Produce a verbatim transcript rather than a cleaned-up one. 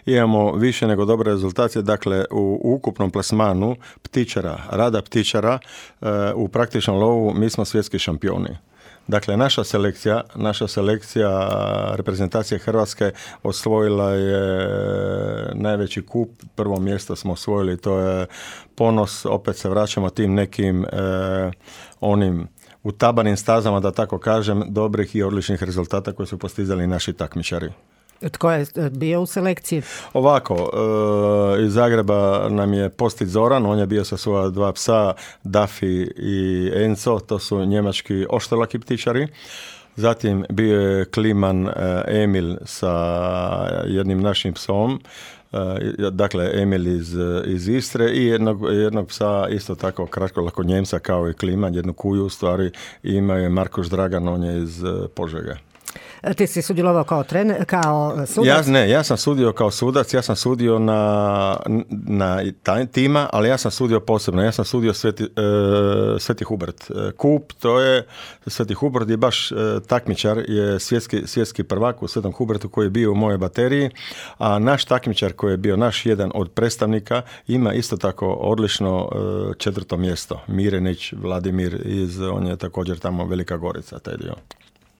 imamo više nego dobre rezultate, dakle u ukupnom plasmanu ptičara, rada ptičara u praktičnom lovu mi smo svjetski šampioni. Dakle, naša selekcija, naša selekcija reprezentacije Hrvatske osvojila je najveći kup, prvo mjesto smo osvojili, to je ponos, opet se vraćamo tim nekim eh, onim utabanim stazama, da tako kažem, dobrih i odličnih rezultata koje su postizali naši takmičari. Tko je bio u selekciji? Ovako, e, iz Zagreba nam je Postić Zoran, on je bio sa svoja dva psa, Dafi i Enzo, to su njemački oštrolaki ptičari. Zatim bio je Kliman e, Emil sa jednim našim psom, e, dakle Emil iz, iz Istre i jednog, jednog psa isto tako kratkolako Njemca kao i Kliman, jednu kuju u stvari, i ima je Markoš Dragan, on je iz Požege. Ti si sudjelovao kao trener, kao sudac? Ja, ne, ja sam sudio kao sudac, ja sam sudio na, na taj tima, ali ja sam sudio posebno, ja sam sudio Sveti, e, Sveti Hubert. Kup, to je Sveti Hubert je baš e, takmičar, je svjetski, svjetski prvak u Svetom Hubertu koji je bio u mojoj bateriji, a naš takmičar koji je bio naš jedan od predstavnika ima isto tako odlično e, četvrto mjesto. Mirenić Vladimir, iz, on je također tamo Velika Gorica, taj dio.